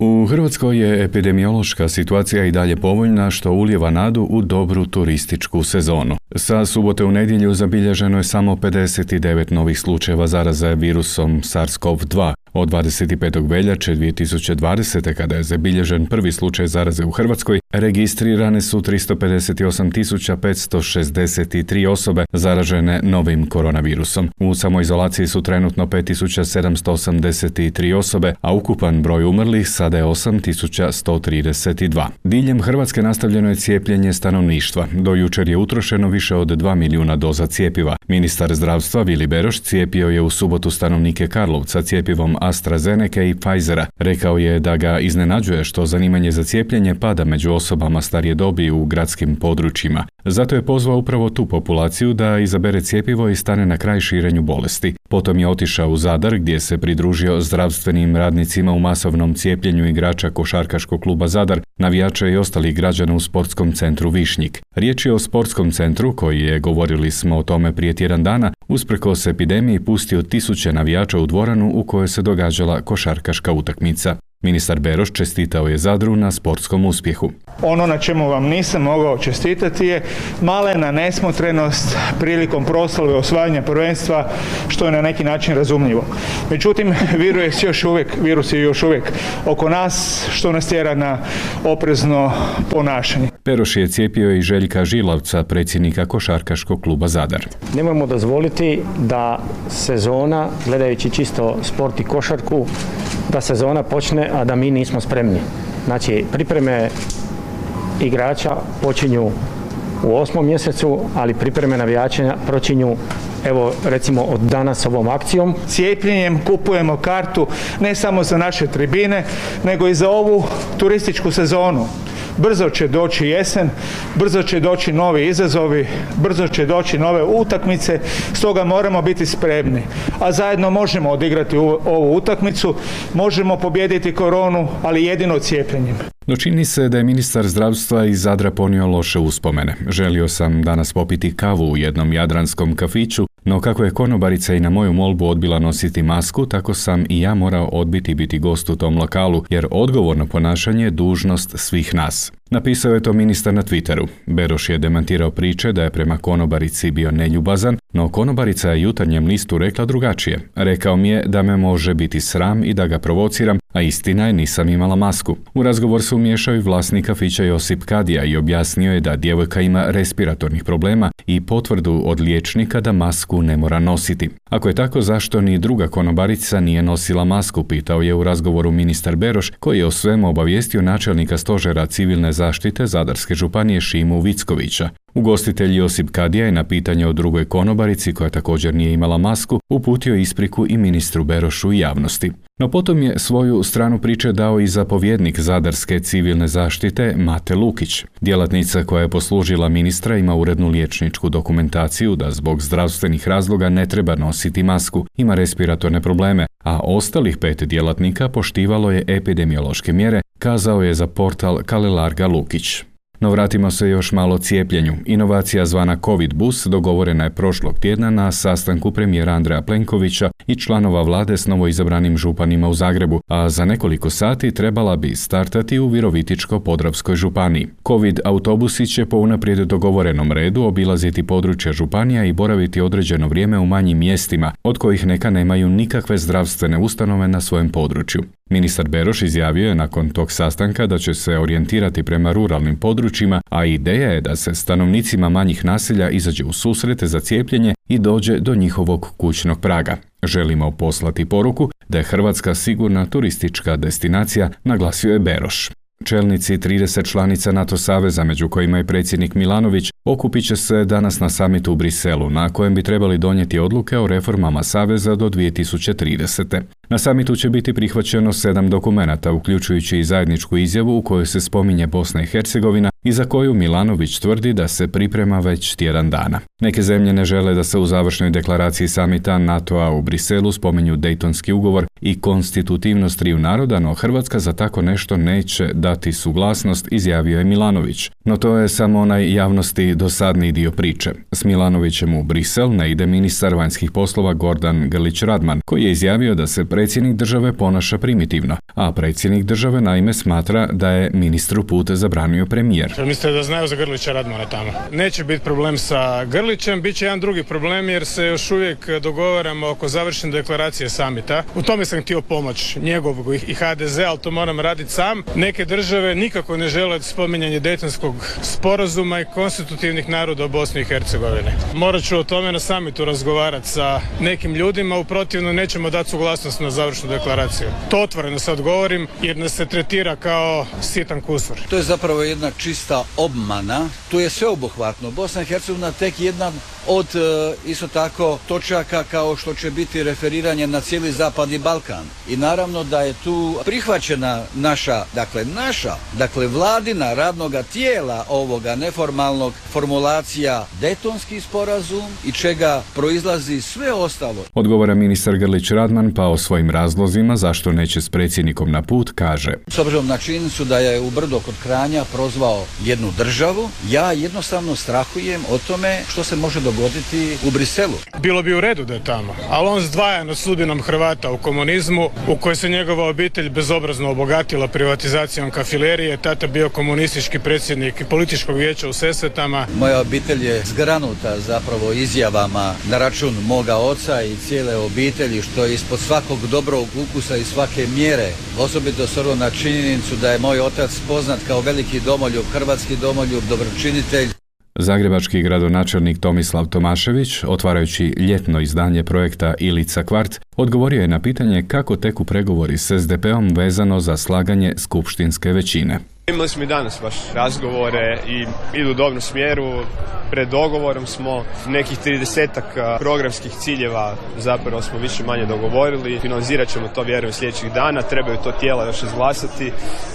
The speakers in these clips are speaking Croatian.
U Hrvatskoj je epidemiološka situacija i dalje povoljna, što ulijeva nadu u dobru turističku sezonu. Sa subote u nedjelju zabilježeno je samo 59 novih slučajeva zaraze virusom SARS-CoV-2. Od 25. veljače 2020. kada je zabilježen prvi slučaj zaraze u Hrvatskoj, registrirane su 358.563 osobe zaražene novim koronavirusom. U samoizolaciji su trenutno 5.783 osobe, a ukupan broj umrlih sada je 8.132. Diljem Hrvatske nastavljeno je cijepljenje stanovništva. Do jučer je utrošeno više od 2 milijuna doza cjepiva. Ministar zdravstva Vili Beroš cijepio je u subotu stanovnike Karlovca cjepivom AstraZeneca i Pfizera. Rekao je da ga iznenađuje što zanimanje za cijepljenje pada među osobama starije dobi u gradskim područjima. Zato je pozvao upravo tu populaciju da izabere cjepivo i stane na kraj širenju bolesti. Potom je otišao u Zadar gdje se pridružio zdravstvenim radnicima u masovnom cijepljenju igrača košarkaškog kluba Zadar, navijača i ostalih građana u sportskom centru Višnjik. Riječ je o sportskom centru koji je, govorili smo o tome prije tjedan dana, usprkos epidemiji pustio tisuće navijača u dvoranu u kojoj se događala košarkaška utakmica. Ministar Beroš čestitao je Zadru na sportskom uspjehu. Ono na čemu vam nisam mogao čestitati je malena nesmotrenost prilikom proslave osvajanja prvenstva, što je na neki način razumljivo. Međutim, virus je još uvijek oko nas, što nas tjera na oprezno ponašanje. Beroš je cijepio i Željka Žilavca, predsjednika košarkaškog kluba Zadar. Nemojmo dozvoliti da sezona, gledajući čisto sport i košarku, da sezona počne, a da mi nismo spremni. Znači, pripreme igrača počinju u 8. mjesecu, ali pripreme navijača počinju, evo recimo od danas ovom akcijom. Cijepljenjem kupujemo kartu ne samo za naše tribine, nego i za ovu turističku sezonu. Brzo će doći jesen, brzo će doći novi izazovi, brzo će doći nove utakmice, stoga moramo biti spremni. A zajedno možemo odigrati ovu utakmicu, možemo pobijediti koronu, ali jedino cijepljenjem. No čini se da je ministar zdravstva iz Zadra ponio loše uspomene. Želio sam danas popiti kavu u jednom jadranskom kafiću, no kako je konobarica i na moju molbu odbila nositi masku, tako sam i ja morao odbiti biti gost u tom lokalu, jer odgovorno ponašanje je dužnost svih nas. Napisao je to ministar na Twitteru. Beroš je demantirao priče da je prema konobarici bio neljubazan, no konobarica je Jutarnjem listu rekla drugačije. Rekao mi je da me može biti sram i da ga provociram, a istina je nisam imala masku. U razgovor se umiješao i vlasnik kafića Josip Kadija i objasnio je da djevojka ima respiratornih problema i potvrdu od liječnika da masku ne mora nositi. Ako je tako, zašto ni druga konobarica nije nosila masku, pitao je u razgovoru ministar Beroš, koji je o svemu obavijestio načelnika stožera civilne zaštite Zadarske županije Šimu Vickovića. Ugostitelj Josip Kadija je na pitanje o drugoj konobarici, koja također nije imala masku, uputio ispriku i ministru Berošu i javnosti. No potom je svoju stranu priče dao i zapovjednik Zadarske civilne zaštite Mate Lukić. Djelatnica koja je poslužila ministra ima urednu liječničku dokumentaciju da zbog zdravstvenih razloga ne treba nositi masku, ima respiratorne probleme, a ostalih 5 djelatnika poštivalo je epidemiološke mjere, kazao je za portal Kalelarga Lukić. No vratimo se još malo cijepljenju. Inovacija zvana Covid bus dogovorena je prošlog tjedna na sastanku premijera Andreja Plenkovića i članova vlade s novoizabranim županima u Zagrebu, a za nekoliko sati trebala bi startati u Virovitičko-podravskoj županiji. Covid autobusi će po unaprijed dogovorenom redu obilaziti područja županija i boraviti određeno vrijeme u manjim mjestima, od kojih neka nemaju nikakve zdravstvene ustanove na svojem području. Ministar Beroš izjavio je nakon tog sastanka da će se orijentirati prema ruralnim područjima, a ideja je da se stanovnicima manjih naselja izađe u susrete za cijepljenje i dođe do njihovog kućnog praga. Želimo poslati poruku da je Hrvatska sigurna turistička destinacija, naglasio je Beroš. Čelnici 30 članica NATO saveza, među kojima je predsjednik Milanović, okupit će se danas na samitu u Briselu, na kojem bi trebali donijeti odluke o reformama saveza do 2030. Na samitu će biti prihvaćeno 7 dokumenata, uključujući i zajedničku izjavu u kojoj se spominje Bosna i Hercegovina i za koju Milanović tvrdi da se priprema već tjedan dana. Neke zemlje ne žele da se u završnoj deklaraciji samita NATO-a u Briselu spominju Dejtonski ugovor i konstitutivnost triju naroda, no Hrvatska za tako nešto neće dati suglasnost, izjavio je Milanović. No to je samo onaj javnosti dosadni dio priče. S Milanovićem u Brisel ne ide ministar vanjskih poslova Gordan Grlić Radman, koji je izjavio da se predsjednik države ponaša primitivno, a predsjednik države naime smatra da je ministru put zabranio premijer. Mislite da znaju za Grlića Radmana tamo? Neće biti problem sa Grlićem, bit će jedan drugi problem jer se još uvijek dogovaramo oko završene deklaracije samita. U tome sam htio pomoć njegovog i HDZ, ali to moram raditi sam. Neke države nikako ne žele spominjanje Dejtonskog sporazuma i konstitutivnih naroda u Bosni i Hercegovini. Morat ću o tome na samitu razgovarati sa nekim ljudima, u protivno nećemo dati suglasnost na završnu deklaraciju. To otvoreno sad govorim jer nas se tretira kao sitan kusur. To je zapravo jedna čista obmana. Tu je sveobuhvatno. Bosna i Hercegovina tek jedna od isto tako točaka kao što će biti referiranje na cijeli Zapadni Balkan. I naravno da je tu prihvaćena naša vladina radnoga tijela ovoga neformalnog formulacija Dejtonski sporazum i čega proizlazi sve ostalo. Odgovara ministar Grlić Radman, pa o svojim razlozima zašto neće s predsjednikom na put kaže: S obzirom na činjenicu da je u Brdo kod Kranja prozvao jednu državu, ja jednostavno strahujem o tome što se može dogoditi u Briselu. Bilo bi u redu da je tamo, ali on zdvaja nad sudbinom Hrvata u komunizmu, u kojoj se njegova obitelj bezobrazno obogatila privatizacijom kafilerije, tata bio komunistički predsjednik političkog vijeća u Sesvetama. Moja obitelj je zgranuta zapravo izjavama na račun moga oca i cijele obitelji, što je ispod svakog dobrog ukusa i svake mjere, osobito s obzirom na činjenicu da je moj otac poznat kao veliki domoljub, hrvatski domoljub, dobročinitelj. Zagrebački gradonačelnik Tomislav Tomašević, otvarajući ljetno izdanje projekta Ilica kvart, odgovorio je na pitanje kako teku pregovori s SDP-om vezano za slaganje skupštinske većine. Imali smo i danas baš razgovore i idu u dobrom smjeru. Pred dogovorom smo nekih 30-ak programskih ciljeva zapravo smo više manje dogovorili. Finalizirat ćemo to vjerujem sljedećih dana, trebaju to tijela još izglasati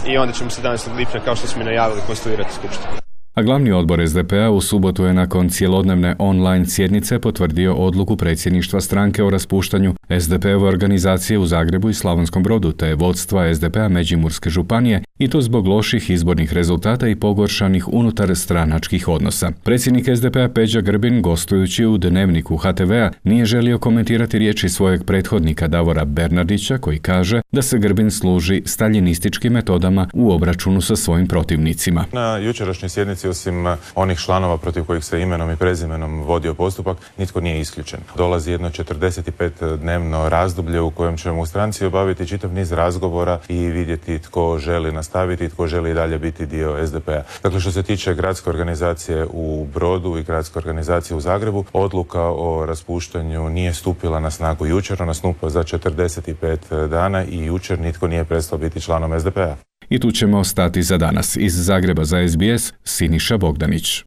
i onda ćemo 17. lipnja, kao što smo i najavili, konstituirati skupštinu. A glavni odbor SDP-a u subotu je nakon cjelodnevne online sjednice potvrdio odluku predsjedništva stranke o raspuštanju SDP-ove organizacije u Zagrebu i Slavonskom Brodu te vodstva SDP-a Međimurske županije, i to zbog loših izbornih rezultata i pogoršanih unutar stranačkih odnosa. Predsjednik SDP-a Peđa Grbin, gostujući u Dnevniku HTV-a, nije želio komentirati riječi svojeg prethodnika Davora Bernardića, koji kaže da se Grbin služi staljinističkim metodama u obračunu sa svojim protivnicima. Na jučerašnjoj sjednici, osim onih članova protiv kojih se imenom i prezimenom vodio postupak, nitko nije isključen. Dolazi jedno 45-dnevno razdoblje u kojem ćemo u stranci obaviti čitav niz razgovora i vidjeti tko želi nastaviti i tko želi i dalje biti dio SDP-a. Dakle, što se tiče gradske organizacije u Brodu i gradske organizacije u Zagrebu, odluka o raspuštanju nije stupila na snagu jučer, ona stupa za 45 dana i jučer nitko nije prestao biti članom SDP-a. I tu ćemo stati za danas. Iz Zagreba za SBS, Siniša Bogdanić.